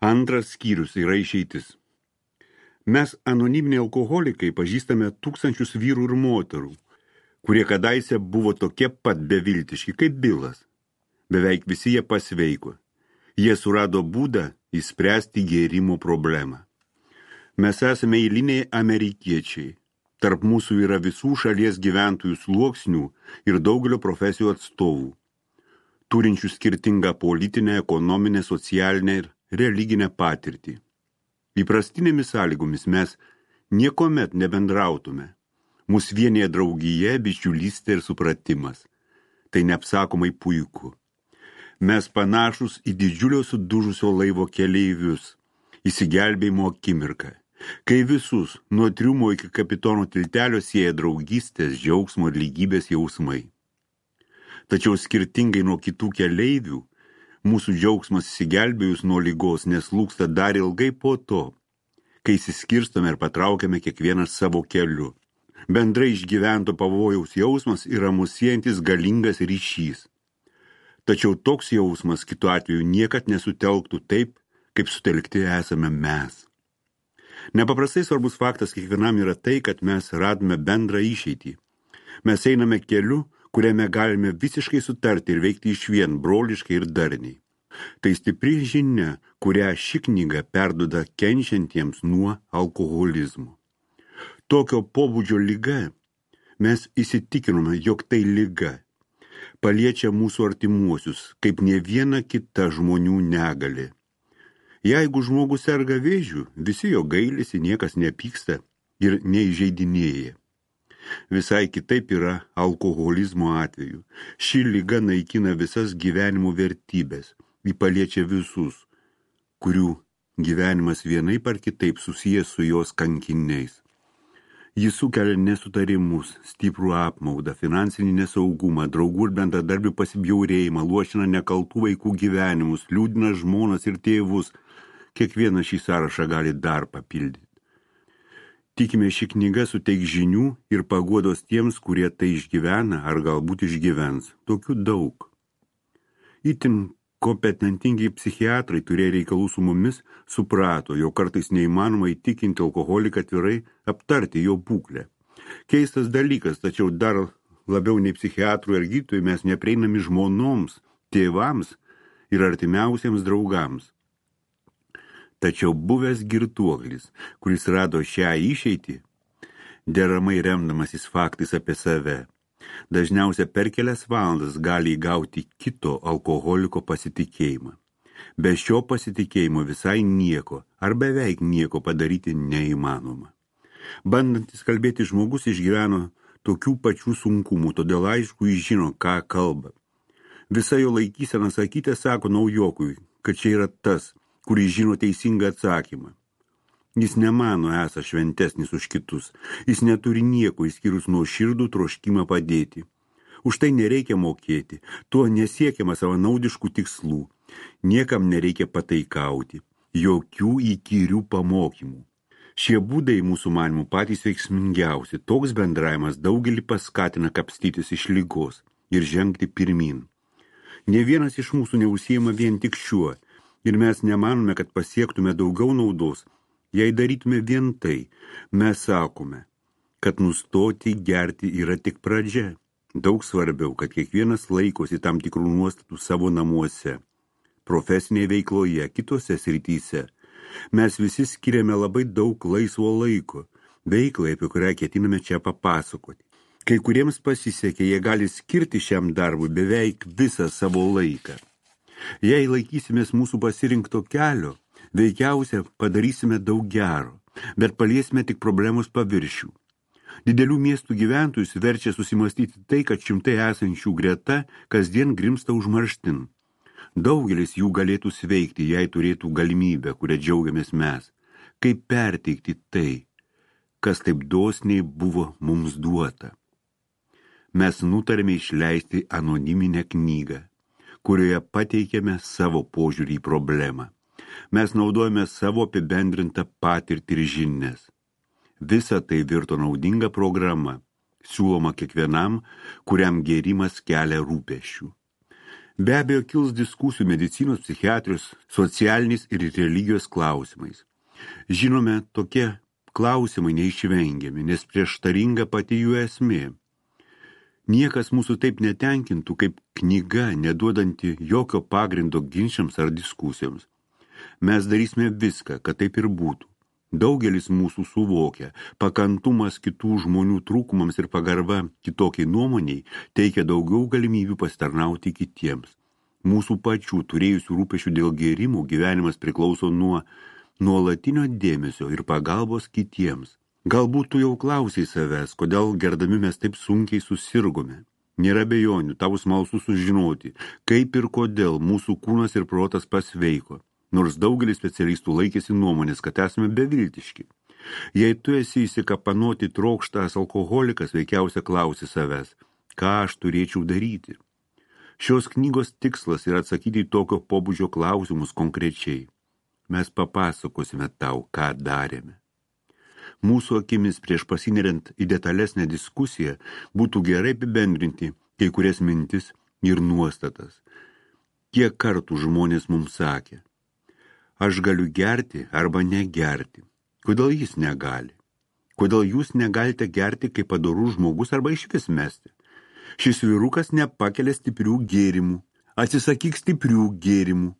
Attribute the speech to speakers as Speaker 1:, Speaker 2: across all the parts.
Speaker 1: Antras skyrius yra išeitis. Mes anoniminiai alkoholikai pažįstame tūkstančius vyrų ir moterų, kurie kadaise buvo tokie pat beviltiški kaip Bilas. Beveik visi jie pasveiko. Jie surado būdą įspręsti gėrimo problemą. Mes esame eiliniai amerikiečiai. Tarp mūsų yra visų šalies gyventojų sluoksnių ir daugelio profesijų atstovų, turinčių skirtingą politinę, ekonominę, socialinę ir religinę patirtį. Įprastinėmis sąlygomis mes niekuomet nebendrautume. Mus vienyje draugija, bičiulystė ir supratimas. Tai neapsakomai puiku. Mes panašus į didžiulio sudužusio laivo keleivius, įsigelbėjimo akimirką, kai visus nuo triumo iki kapitono tiltelio sieja draugystės, džiaugsmo ir lygybės jausmai. Tačiau skirtingai nuo kitų keleivių, mūsų džiaugsmas įsigelbėjus nuo ligos neslūksta dar ilgai po to, kai įsiskirstome ir patraukiame kiekvienas savo keliu. Bendrai išgyvento pavojaus jausmas yra mus siejantis galingas ryšys. Tačiau toks jausmas kitu atveju niekad nesutelktų taip, kaip sutelkti esame mes. Nepaprastai svarbus faktas kiekvienam yra tai, kad mes radome bendrą išeitį. Mes einame keliu, kuriame galime visiškai sutarti ir veikti išvien broliškai ir darniai. Tai stipri žinia, kurią ši knyga perduoda kenčiantiems nuo alkoholizmo. Tokio pobūdžio liga, mes įsitikinome, jog tai liga, paliečia mūsų artimuosius, kaip ne viena kita žmonių negali. Jeigu žmogus serga vėžiu, visi jo gailisi, niekas nepyksta ir neįžeidinėja. Visai kitaip yra alkoholizmo atveju. Ši liga naikina visas gyvenimo vertybės, ji paliečia visus, kurių gyvenimas vienaip ar kitaip susijęs su jos kankiniais. Jis sukelia nesutarimus, stiprų apmaudą, finansinį nesaugumą, draugų ir bendradarbių pasibjaurėjimą, luošina nekaltų vaikų gyvenimus, liūdina žmonas ir tėvus. Kiekvienas šį sąrašą gali dar papildyti. Tikime, ši knyga suteiks žinių ir paguodos tiems, kurie tai išgyvena ar galbūt išgyvens. Tokių daug. Itin kompetentingi psichiatrai turėjo reikalų su mumis, suprato, jo kartais neįmanoma įtikinti alkoholiką atvirai aptarti jo būklę. Keistas dalykas, tačiau dar labiau nei psichiatrų ir gydytojų mes neprieinami žmonoms, tėvams ir artimiausiems draugams. Tačiau buvęs girtuoklis, kuris rado šią išeitį, deramai remdamasis faktais apie save, dažniausiai per kelias valandas gali įgauti kito alkoholiko pasitikėjimą. Be šio pasitikėjimo visai nieko ar beveik nieko padaryti neįmanoma. Bandantis kalbėti žmogus išgyveno tokių pačių sunkumų, todėl aišku jis žino, ką kalba. Visa jo laikysena sakyti sako naujokui, kad čia yra tas, kuris žino teisingą atsakymą. Jis nemano esą šventesnis už kitus. Jis neturi nieko išskyrus nuoširdų troškimą padėti. Už tai nereikia mokėti. Tuo nesiekiama savanaudiškų tikslų. Niekam nereikia pataikauti. Jokių įkyrių pamokymų. Šie būdai mūsų manimų patys veiksmingiausi. Toks bendravimas daugelį paskatina kapstytis iš ligos ir žengti pirmin. Ne vienas iš mūsų neužsiima vien tik šiuo. Ir mes nemanome, kad pasiektume daugiau naudos, jei darytume vien tai. Mes sakome, kad nustoti gerti yra tik pradžia. Daug svarbiau, kad kiekvienas laikosi tam tikrų nuostatų savo namuose, profesinėje veikloje, kitose srityse. Mes visi skiriame labai daug laisvo laiko, veiklai, apie kurią ketiname čia papasakoti. Kai kuriems pasisekė, jie gali skirti šiam darbui beveik visą savo laiką. Jei laikysimės mūsų pasirinkto kelio, veikiausia padarysime daug gero, bet paliesime tik problemos paviršių. Didelių miestų gyventojus verčia susimastyti tai, kad šimtai esančių greta kasdien grimsta užmarštin. Daugelis jų galėtų sveikti, jei turėtų galimybę, kurią džiaugiamės mes. Kaip perteikti tai, kas taip dosniai buvo mums duota. Mes nutarėme išleisti anoniminę knygą, kurioje pateikėme savo požiūrį į problemą. Mes naudojame savo apibendrintą patirtį ir žinias. Visa tai virto naudinga programa, siūloma kiekvienam, kuriam gėrimas kelia rūpesčių. Be abejo, kils diskusijų medicinos, psichiatrijos, socialiniais ir religijos klausimais. Žinome, tokie klausimai neišvengiami, nes prieštaringa pati jų esmė. Niekas mūsų taip netenkintų kaip knyga, neduodanti jokio pagrindo ginčiams ar diskusijoms. Mes darysime viską, kad taip ir būtų. Daugelis mūsų suvokia, pakantumas kitų žmonių trūkumams ir pagarba kitokiai nuomoniai teikia daugiau galimybių pasitarnauti kitiems. Mūsų pačių turėjusių rūpešių dėl gėrimų gyvenimas priklauso nuo nuolatinio dėmesio ir pagalbos kitiems. Galbūt tu jau klausiai savęs, kodėl gerdami mes taip sunkiai susirgome. Nėra abejonių, tau smalsu sužinoti, kaip ir kodėl mūsų kūnas ir protas pasveiko. Nors daugelis specialistų laikėsi nuomonės, kad esame beviltiški. Jei tu esi įsikapanoti trokštas alkoholikas, veikiausia klausi savęs, ką aš turėčiau daryti. Šios knygos tikslas yra atsakyti į tokio pobūdžio klausimus konkrečiai. Mes papasakosime tau, ką darėme. Mūsų akimis prieš pasineriant į detalesnę diskusiją būtų gerai apibendrinti kai kurias mintis ir nuostatas. Kiek kartų žmonės mums sakė, aš galiu gerti arba negerti. Kodėl jis negali? Kodėl jūs negalite gerti kaip padorus žmogus arba išvis mesti? Šis vyrukas nepakelia stiprių gėrimų. Atsisakyk stiprių gėrimų.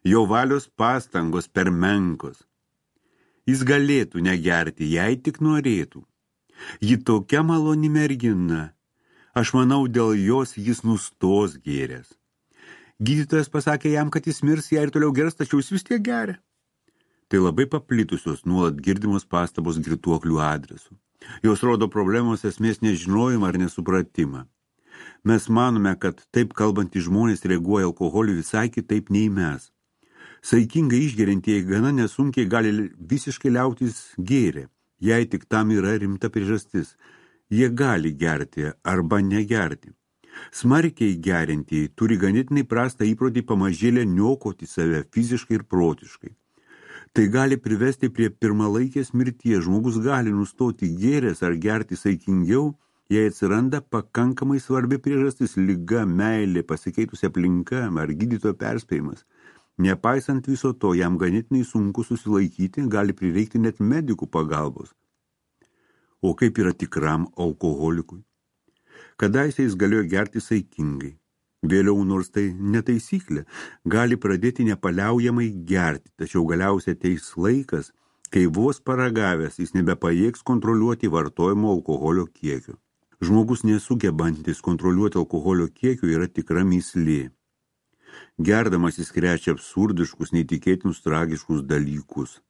Speaker 1: Jo valios pastangos per menkos. Jis galėtų negerti, jei tik norėtų. Ji tokia maloni mergina. Aš manau, dėl jos jis nustos gėręs. Gydytojas pasakė jam, kad jis mirs, jei ir toliau gers, tačiau jis vis tiek geria. Tai labai paplitusios nuolat girdimos pastabos girtuoklių adresu. Jos rodo problemos esmės nežinojimą ar nesupratimą. Mes manome, kad taip kalbantys žmonės reaguoja alkoholiu visai kitaip nei mes. Saikingai išgeriantieji gana nesunkiai gali visiškai liautis gėrę, jei tik tam yra rimta priežastis. Jie gali gerti arba negerti. Smarkiai geriantieji turi ganėtinai prastą įprotį pamažėlę niokoti save fiziškai ir protiškai. Tai gali privesti prie pirmalaikės mirties. Žmogus gali nustoti gėręs ar gerti saikingiau, jei atsiranda pakankamai svarbi priežastis, liga, meilė, pasikeitusi aplinka ar gydytojo perspėjimas. Nepaisant viso to, jam ganėtinai sunku susilaikyti, gali prireikti net medikų pagalbos. O kaip yra tikram alkoholikui? Kadaise jis galėjo gerti saikingai. Vėliau, nors tai netaisyklė, gali pradėti nepaliaujamai gerti, tačiau galiausiai ateis laikas, kai vos paragavęs jis nebepajėgs kontroliuoti vartojimo alkoholio kiekio. Žmogus nesugebantis kontroliuoti alkoholio kiekio yra tikra mįslė. Gerdamas jis krečia absurdiškus, neįtikėtinus, tragiškus dalykus.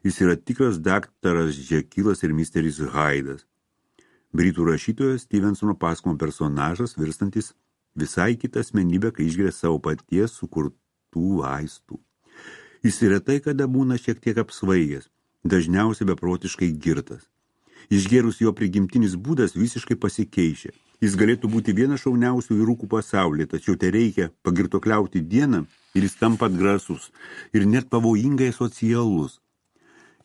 Speaker 1: Jis yra tikras daktaras Džekilas ir misteris Haidas. Britų rašytojas Stevensono pasakojimo personažas virstantis visai kitą asmenybę, kai išgeria savo paties sukurtų vaistų. Jis retai kada būna šiek tiek apsvaigęs, dažniausiai beprotiškai girtas. Išgėrus jo prigimtinis būdas visiškai pasikeičia. Jis galėtų būti vienas šauniausių vyrukų pasaulyje, tačiau tai reikia pagirtokliauti dieną ir jis tampa atgrasus ir net pavojingai socialus.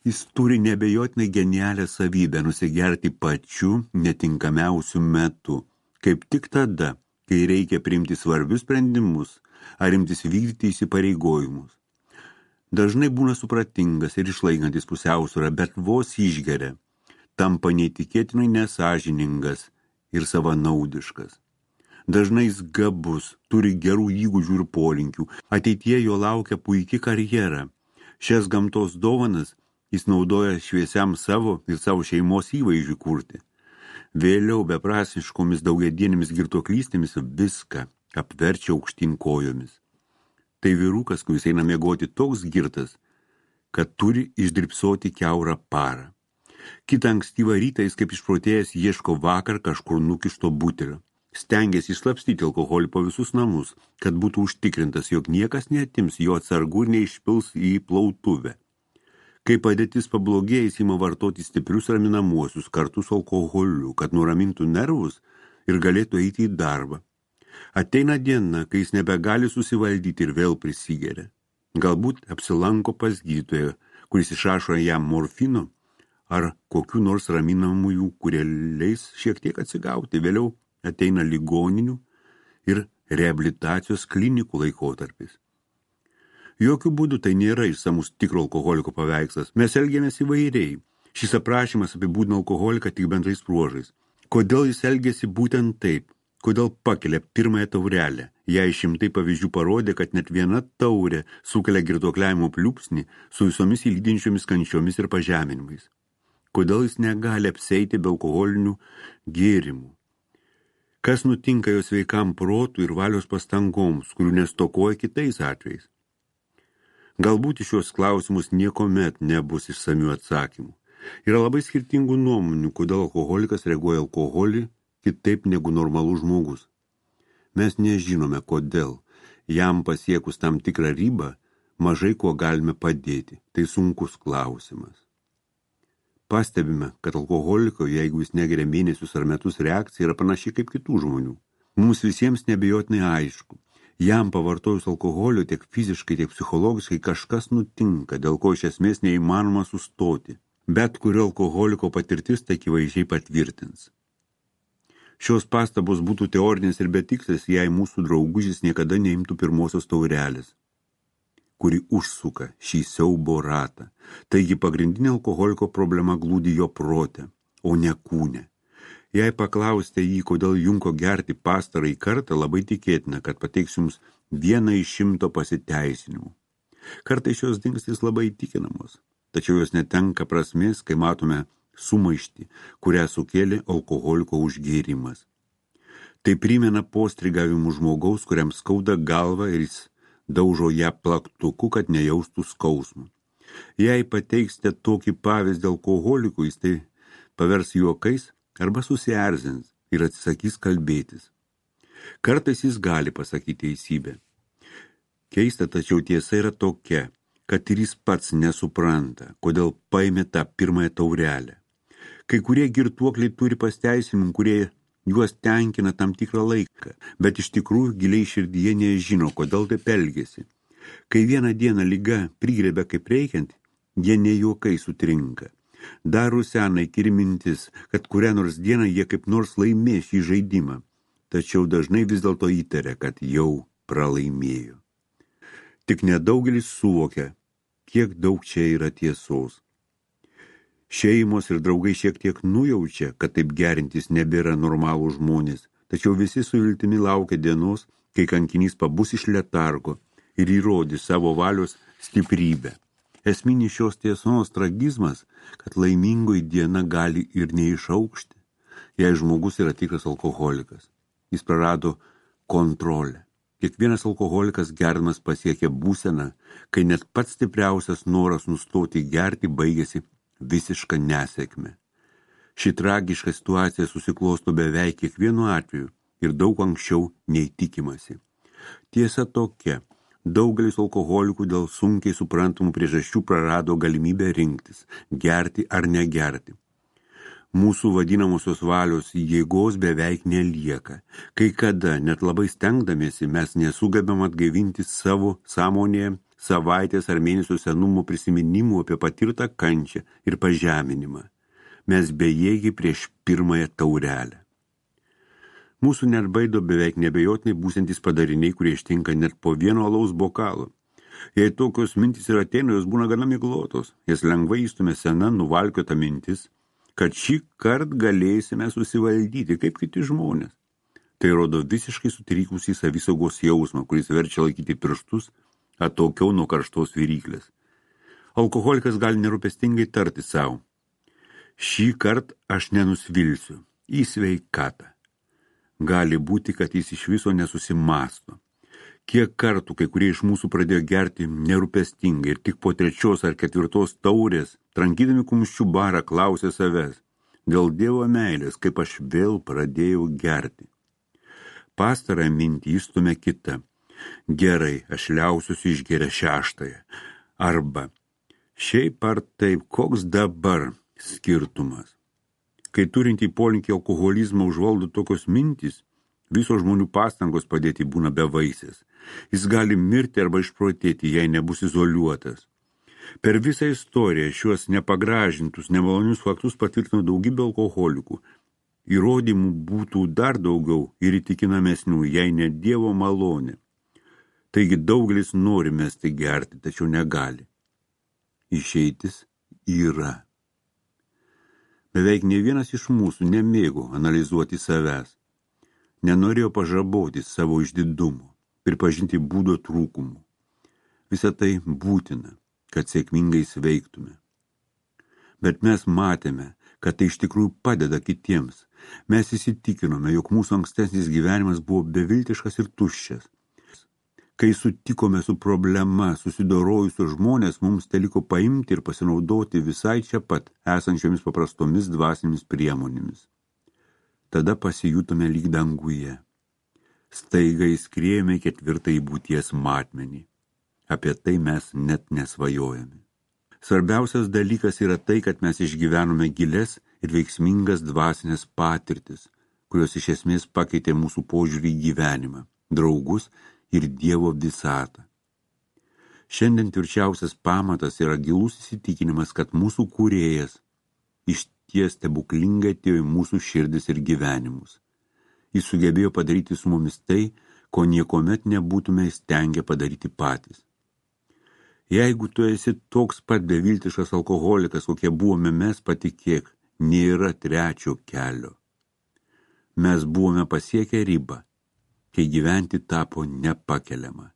Speaker 1: Jis turi neabejotinai genialią savybę nusigerti pačiu netinkamiausiu metu, kaip tik tada, kai reikia priimti svarbius sprendimus ar imtis vykdyti įsipareigojimus. Dažnai būna supratingas ir išlaikantis pusiausvyrą, bet vos išgeria, tampa neįtikėtinai nesąžiningas ir savanaudiškas. Dažnai jis gabus, turi gerų įgūdžių ir polinkių, ateityje jo laukia puiki karjera. Šias gamtos dovanas jis naudoja šviesiam savo ir savo šeimos įvaizdžiui kurti. Vėliau beprasmiškomis daugiadienėmis girtuoklystėmis viską apverčia aukštyn kojomis. Tai vyrukas, kuris eina miegoti toks girtas, kad turi išdrybsoti kiaurą parą. Kitą ankstyvą rytą jis kaip išprotėjęs ieško vakar kažkur nukišto butelio. Stengiasi išslapstyti alkoholį po visus namus, kad būtų užtikrintas, jog niekas neatims jo atsargų ir neišpils į plautuvę. Kai padėtis pablogėja, jis ima vartoti stiprius raminamuosius kartu su alkoholiu, kad nuramintų nervus ir galėtų eiti į darbą. Ateina diena, kai jis nebegali susivaldyti ir vėl prisigeria. Galbūt apsilanko pas gydytoją, kuris išrašo jam morfino ar kokių nors raminamųjų, kurie leis šiek tiek atsigauti. Vėliau ateina ligoninių ir reabilitacijos klinikų laikotarpis. Jokių būdų tai nėra išsamus tikro alkoholiko paveikslas. Mes elgiamės įvairiai. Šis aprašymas apibūdina alkoholiką tik bendrais bruožais. Kodėl jis elgėsi būtent taip? Kodėl pakelia pirmąją taurelę? Jei šimtai pavyzdžių parodė, kad net viena taurė sukelia girtuokliavimo pliūpsnį su visomis įlydinčiomis kančiomis ir pažeminimais. Kodėl jis negali apseiti be alkoholinių gėrimų? Kas nutinka jo sveikam protui ir valios pastangoms, kurių nestokoja kitais atvejais? Galbūt iš šios klausimus niekomet nebus išsamių atsakymų. Yra labai skirtingų nuomonių, kodėl alkoholikas reaguoja alkoholį kitaip negu normalus žmogus. Mes nežinome, kodėl. Jam pasiekus tam tikrą ribą, mažai kuo galime padėti. Tai sunkus klausimas. Pastebime, kad alkoholiko, jeigu jis negeria mėnesius ar metus, reakcija yra panaši kaip kitų žmonių. Mums visiems neabejotinai aišku. Jam pavartojus alkoholio tiek fiziškai, tiek psichologiškai kažkas nutinka, dėl ko iš esmės neįmanoma sustoti. Bet kurio alkoholiko patirtis tai akivaizdžiai patvirtins. Šios pastabos būtų teorinės ir betikslės, jei mūsų draugužis niekada neimtų pirmosios taurelės, kuri užsuka šį siaubo ratą. Taigi pagrindinė alkoholiko problema glūdi jo prote, o ne kūne. Jei paklausite jį, kodėl junko gerti pastarąjį kartą, labai tikėtina, kad pateiks jums 1 iš 100 pasiteisinimų. Kartais šios dingstys labai įtikinamos, tačiau jos netenka prasmės, kai matome sumaištį, kurią sukėlė alkoholiko užgėrimas. Tai primena postrigavimų žmogaus, kuriam skauda galva ir jis daužo ją plaktuku, kad nejaustų skausmų. Jei pateiksite tokį pavyzdį alkoholikui, jis tai pavers juokais arba susierzins ir atsisakys kalbėtis. Kartais jis gali pasakyti teisybę. Keista, tačiau tiesa yra tokia, kad ir jis pats nesupranta, kodėl paėmė tą pirmąją taurelę. Kai kurie girtuokliai turi pasteisinimų, kurie juos tenkina tam tikrą laiką, bet iš tikrųjų giliai širdyje nežino, kodėl taip elgiasi. Kai vieną dieną liga prigrebia kaip reikiant, jie ne juokai sutrinka. Dar rusena įkyri mintis, kad kurią nors dieną jie kaip nors laimės šį žaidimą, tačiau dažnai vis dėlto įtaria, kad jau pralaimėjo. Tik nedaugelis suvokia, kiek daug čia yra tiesos. Šeimos ir draugai šiek tiek nujaučia, kad taip gerintis nebėra normalų žmonės, tačiau visi su viltimi laukia dienos, kai kankinys pabus iš letargo ir įrodys savo valios stiprybę. Esminis šios tiesos tragizmas, kad laimingoji diena gali ir neišaukšti, jei žmogus yra tikras alkoholikas. Jis prarado kontrolę. Kiekvienas alkoholikas gerdamas pasiekia būseną, kai net pats stipriausias noras nustoti gerti baigėsi visišką nesėkmę. Ši tragiška situacija susiklosto beveik kiekvienu atveju ir daug anksčiau nei tikimasi. Tiesa tokia, daugelis alkoholikų dėl sunkiai suprantamų priežasčių prarado galimybę rinktis, gerti ar negerti. Mūsų vadinamosios valios jėgos beveik nelieka. Kai kada, net labai stengdamiesi, mes nesugebam atgaivinti savo sąmonėje savaitės ar mėnesio senumo prisiminimų apie patirtą kančią ir pažeminimą. Mes bejėgiai prieš pirmąją taurelę. Mūsų net baido beveik nebejotinai būsiantys padariniai, kurie ištinka net po vieno alaus bokalo. Jei tokios mintys ir ateina, jos būna gana miglotos. Jas lengvai įstumia sena, nuvalkiota mintis, kad šį kartą galėsime susivaldyti kaip kiti žmonės. Tai rodo visiškai sutrikusį savisaugos jausmą, kuris verčia laikyti pirštus atokiau nuo karštos viryklės. Alkoholikas gali nerūpestingai tarti savo: šį kartą aš nenusvilsiu į sveikatą. Gali būti, kad jis iš viso nesusimasto. Kiek kartų kai kurie iš mūsų pradėjo gerti nerūpestingai ir tik po 3. ar 4. taurės, trankydami kumščių barą, klausė savęs: dėl Dievo meilės, kaip aš vėl pradėjau gerti. Pastarąją mintį įstumia kita: gerai, aš liausiuosi išgeria 6. Arba šiaip ar taip, koks dabar skirtumas. Kai turintį polinkį alkoholizmą užvaldo tokios mintys, visos žmonių pastangos padėti būna bevaisės. Jis gali mirti arba išprotėti, jei nebus izoliuotas. Per visą istoriją šiuos nepagražintus, nemalonius faktus patvirtino daugybė alkoholikų. Įrodymų būtų dar daugiau ir įtikinamesnių, jei ne Dievo malonė. Taigi daugelis nori mesti gerti, tačiau negali. Išeitis yra. Beveik ne vienas iš mūsų nemėgo analizuoti savęs. Nenorėjo pažaboti savo išdidumo, pripažinti būdo trūkumų. Visa tai būtina, kad sėkmingai sveiktume. Bet mes matėme, kad tai iš tikrųjų padeda kitiems. Mes įsitikinome, jog mūsų ankstesnis gyvenimas buvo beviltiškas ir tuščias. Kai sutikome su problema, susidorojusios žmonės, mums teliko paimti ir pasinaudoti visai čia pat esančiomis paprastomis dvasinėmis priemonėmis. Tada pasijutome lyg danguje. Staiga įskriejome 4. būties matmenį. Apie tai mes net nesvajojame. Svarbiausias dalykas yra tai, kad mes išgyvenome giles ir veiksmingas dvasinės patirtis, kurios iš esmės pakeitė mūsų požiūrį į gyvenimą, draugus ir Dievo visatą. Šiandien tvirčiausias pamatas yra gilus įsitikinimas, kad mūsų kūrėjas išties stebuklingai atėjo į mūsų širdis ir gyvenimus. Jis sugebėjo padaryti su mumis tai, ko niekomet nebūtume įstengę padaryti patys. Jeigu tu esi toks pat beviltiškas alkoholikas, kokie buvome mes, patikėk, nėra trečio kelio. Mes buvome pasiekę ribą, kai gyventi tapo nepakeliama.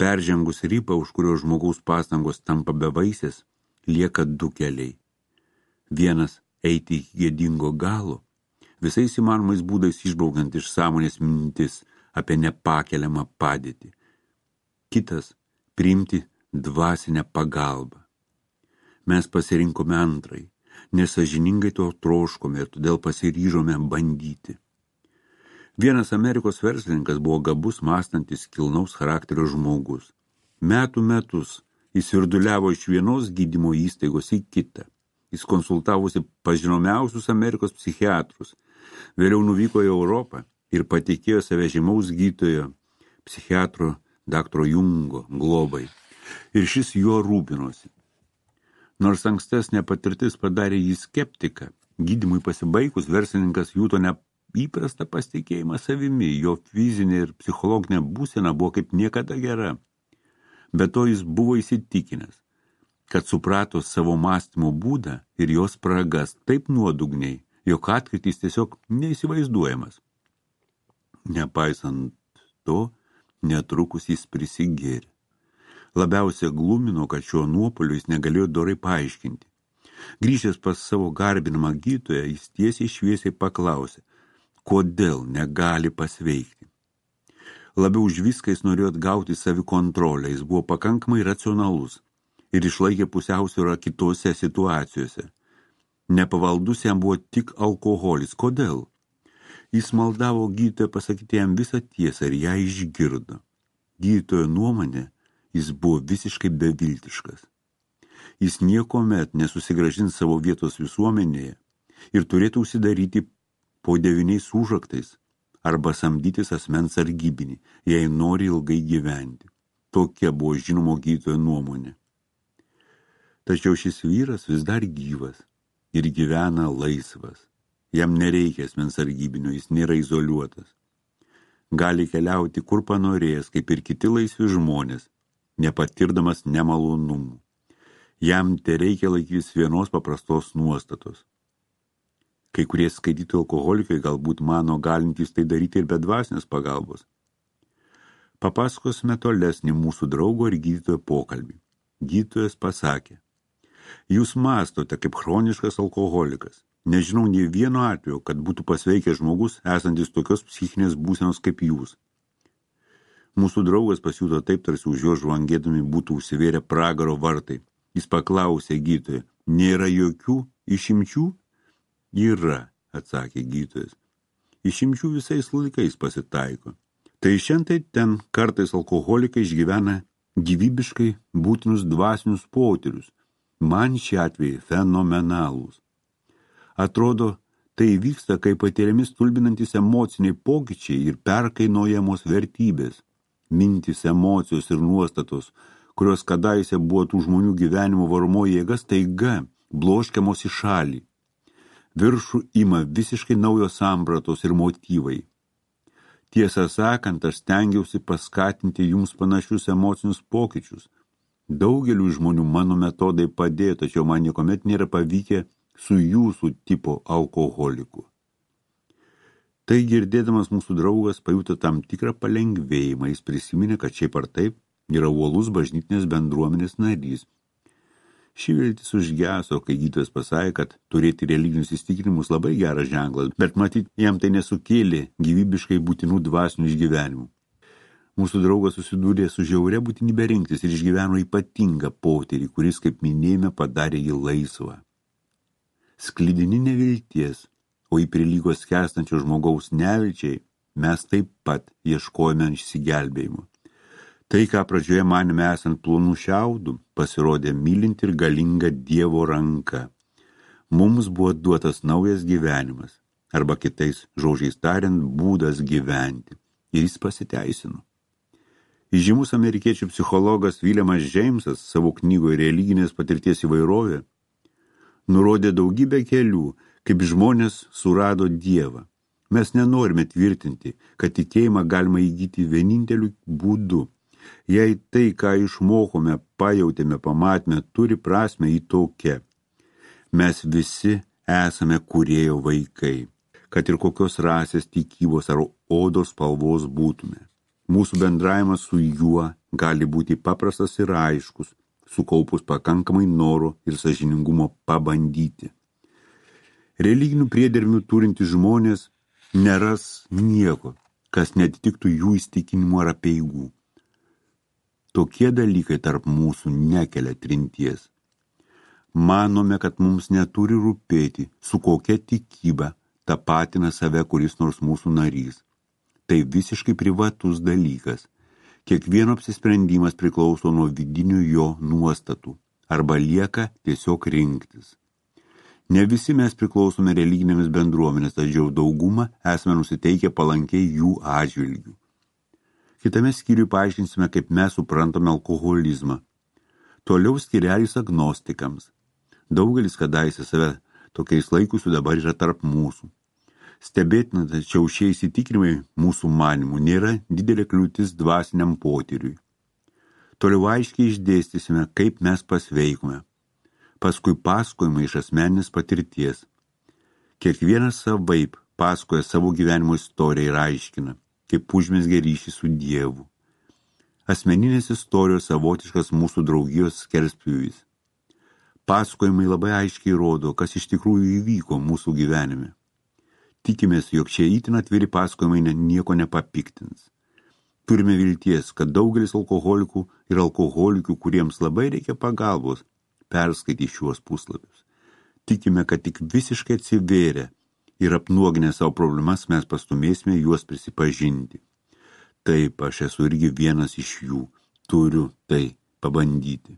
Speaker 1: Peržengus ribą, už kurio žmogaus pastangos tampa bevaisės, lieka 2 keliai. Vienas – eiti iki gėdingo galo, visais įmanomais būdais išbraukiant iš sąmonės mintis apie nepakeliamą padėtį. Kitas – priimti dvasinę pagalbą. Mes pasirinkome antrąjį, nesąžiningai to troškome ir todėl pasiryžome bandyti. Vienas Amerikos verslininkas buvo gabus, mąstantis, kilnaus charakterio žmogus. Metus jis virduliavo iš vienos gydymo įstaigos į kitą. Jis konsultavosi pas žinomiausius Amerikos psichiatrus. Vėliau nuvyko į Europą ir patikėjo save žymaus gydytojo, psichiatro dr. Jungo globai. Ir šis juo rūpinosi. Nors ankstesnė patirtis padarė jį skeptiką, gydymui pasibaigus verslininkas juto neįprastą pasitikėjimą savimi, jo fizinė ir psichologinė būsena buvo kaip niekada gera. Be to jis buvo įsitikinęs, kad suprato savo mąstymo būdą ir jos spragas taip nuodugniai, jog atkrytis tiesiog neįsivaizduojamas. Nepaisant to, netrukus jis prisigėrė. Labiausiai glumino, kad šio nuopolio jis negalėjo dorai paaiškinti. Grįžęs pas savo garbinamą gydytoją, jis tiesiai šviesiai paklausė, kodėl negali pasveikti. Labiau už viską jis norėjo atgauti savikontrolę, jis buvo pakankamai racionalus ir išlaikė pusiausvyrą kitose situacijose. Nepavaldus jam buvo tik alkoholis. Kodėl? Jis maldavo gydytoją pasakyti jam visą tiesą ir ją išgirdo. Gydytojo nuomonė, jis buvo visiškai beviltiškas. Jis niekomet nesusigrąžins savo vietos visuomenėje ir turėtų užsidaryti po 9 užraktais arba samdytis asmens sargybinį, jei nori ilgai gyventi. Tokia buvo žinomo gydytojo nuomonė. Tačiau šis vyras vis dar gyvas ir gyvena laisvas. Jam nereikia asmens sargybinio, jis nėra izoliuotas. Gali keliauti kur panorėjęs, kaip ir kiti laisvi žmonės, nepatirdamas nemalonumų. Jam tereikia laikytis vienos paprastos nuostatos. Kai kurie skaitytojai alkoholikai galbūt mano galintys tai daryti ir be dvasinės pagalbos. Papasakosime tolesnį mūsų draugo ir gydytojo pokalbį. Gydytojas pasakė, jūs mąstote kaip chroniškas alkoholikas. Nežinau nė vieno atveju, kad būtų pasveikęs žmogus, esantis tokios psichinės būsenos kaip jūs. Mūsų draugas pasijuto taip, tarsi už jo žvangėdami būtų užsivėrę pragaro vartai. Jis paklausė gydytoją, nėra jokių išimčių? Yra, atsakė gydytojas. Išimčių visais laikais pasitaiko. Tai šiandien ten kartais alkoholikai išgyvena gyvybiškai būtinus dvasinius potyrius. Man šie atvejai fenomenalūs. Atrodo, tai vyksta, kai patiriami stulbinantys emociniai pokyčiai ir perkainojamos vertybės. Mintys, emocijos ir nuostatos, kurios kadaise buvo tų žmonių gyvenimo varomoji jėga, staiga bloškiamos į šalį. Viršų ima visiškai naujos sampratos ir motyvai. Tiesą sakant, aš stengiausi paskatinti jums panašius emocinius pokyčius. Daugeliu žmonių mano metodai padėjo, tačiau man niekuomet nėra pavykę su jūsų tipo alkoholiku. Tai girdėdamas mūsų draugas pajuto tam tikrą palengvėjimą. Jis prisiminė, kad šiaip ar taip yra uolus bažnytinės bendruomenės narys. Ši viltis užgeso, kai gydytojas pasakė, kad turėti religinius įsitikinimus labai geras ženklas, bet matyt, jam tai nesukėlė gyvybiškai būtinų dvasinių išgyvenimų. Mūsų draugas susidūrė su žiauria būtinybė rinktis ir išgyveno ypatingą potyrį, kuris, kaip minėjome, padarė jį laisvą. Sklidini nevilties, o į prilygo skęstančio žmogaus nevilčiai, mes taip pat ieškojame išsigelbėjimo. Tai, ką pradžioje manėme esant plonų šiaudų, pasirodė mylinti ir galinga Dievo ranka. Mums buvo duotas naujas gyvenimas, arba kitais žodžiais tariant, būdas gyventi. Ir jis pasiteisino. Įžymus amerikiečių psichologas Williamas Jamesas savo knygoje Religinės patirties įvairovė nurodė daugybę kelių, kaip žmonės surado Dievą. Mes nenorime tvirtinti, kad tikėjimą galima įgyti vieninteliu būdu. Jei tai, ką išmokome, pajautėme, pamatėme, turi prasmę į tokią. Mes visi esame kūrėjo vaikai, kad ir kokios rasės, tikybos ar odos spalvos būtume. Mūsų bendravimas su juo gali būti paprastas ir aiškus, sukaupus pakankamai noro ir sąžiningumo pabandyti. Religinių priedermių turintys žmonės neras nieko, kas netitiktų jų įsitikinimų ar apeigų. Tokie dalykai tarp mūsų nekelia trinties. Manome, kad mums neturi rūpėti, su kokia tikyba tapatina save kuris nors mūsų narys. Tai visiškai privatus dalykas. Kiekvieno apsisprendimas priklauso nuo vidinių jo nuostatų arba lieka tiesiog rinktis. Ne visi mes priklausome religinėmis bendruomenės, tačiau daugumą esame nusiteikę palankiai jų atžvilgių. Kitame skyriuje paaiškinsime, kaip mes suprantame alkoholizmą. Toliau skyrelis agnostikams. Daugelis kadaise save tokiais laikusių dabar yra tarp mūsų. Stebėtina, tačiau šie įsitikinimai mūsų manimų nėra didelė kliūtis dvasiniam potyriui. Toliau aiškiai išdėstysime, kaip mes pasveikome. Paskui pasakojimai iš asmeninės patirties. Kiekvienas savaip pasakoja savo gyvenimo istoriją ir aiškina, kaip užmezgė ryšį su Dievu. Asmeninės istorijos savotiškas mūsų draugijos skerspjūvis. Pasakojimai labai aiškiai rodo, kas iš tikrųjų įvyko mūsų gyvenime. Tikimės, jog šie itin atviri pasakojimai nieko nepapiktins. Turime vilties, kad daugelis alkoholikų ir alkoholikių, kuriems labai reikia pagalbos, perskaitys šiuos puslapius. Tikime, kad tik visiškai atsivėrę ir apnuoginę savo problemas mes pastumėsime juos prisipažinti. Taip, aš esu irgi vienas iš jų. Turiu tai pabandyti.